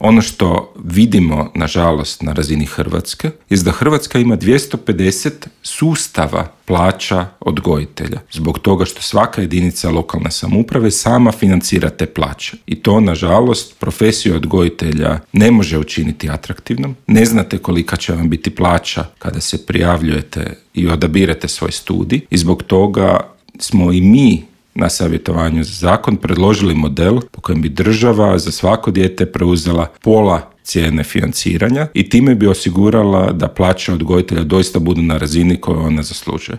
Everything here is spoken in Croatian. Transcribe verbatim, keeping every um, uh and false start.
Ono što vidimo, nažalost, na razini Hrvatske, je da Hrvatska ima dvjesto pedeset sustava plaća odgojitelja, zbog toga što svaka jedinica lokalne samouprave sama financira te plaće. I to, nažalost, profesiju odgojitelja ne može učiniti atraktivnom. Ne znate kolika će vam biti plaća kada se prijavljujete i odabirete svoj studij i zbog toga smo i mi na savjetovanju za zakon predložili model po kojem bi država za svako dijete preuzela pola cijene financiranja i time bi osigurala da plaće odgojitelja doista budu na razini koju ona zaslužuje.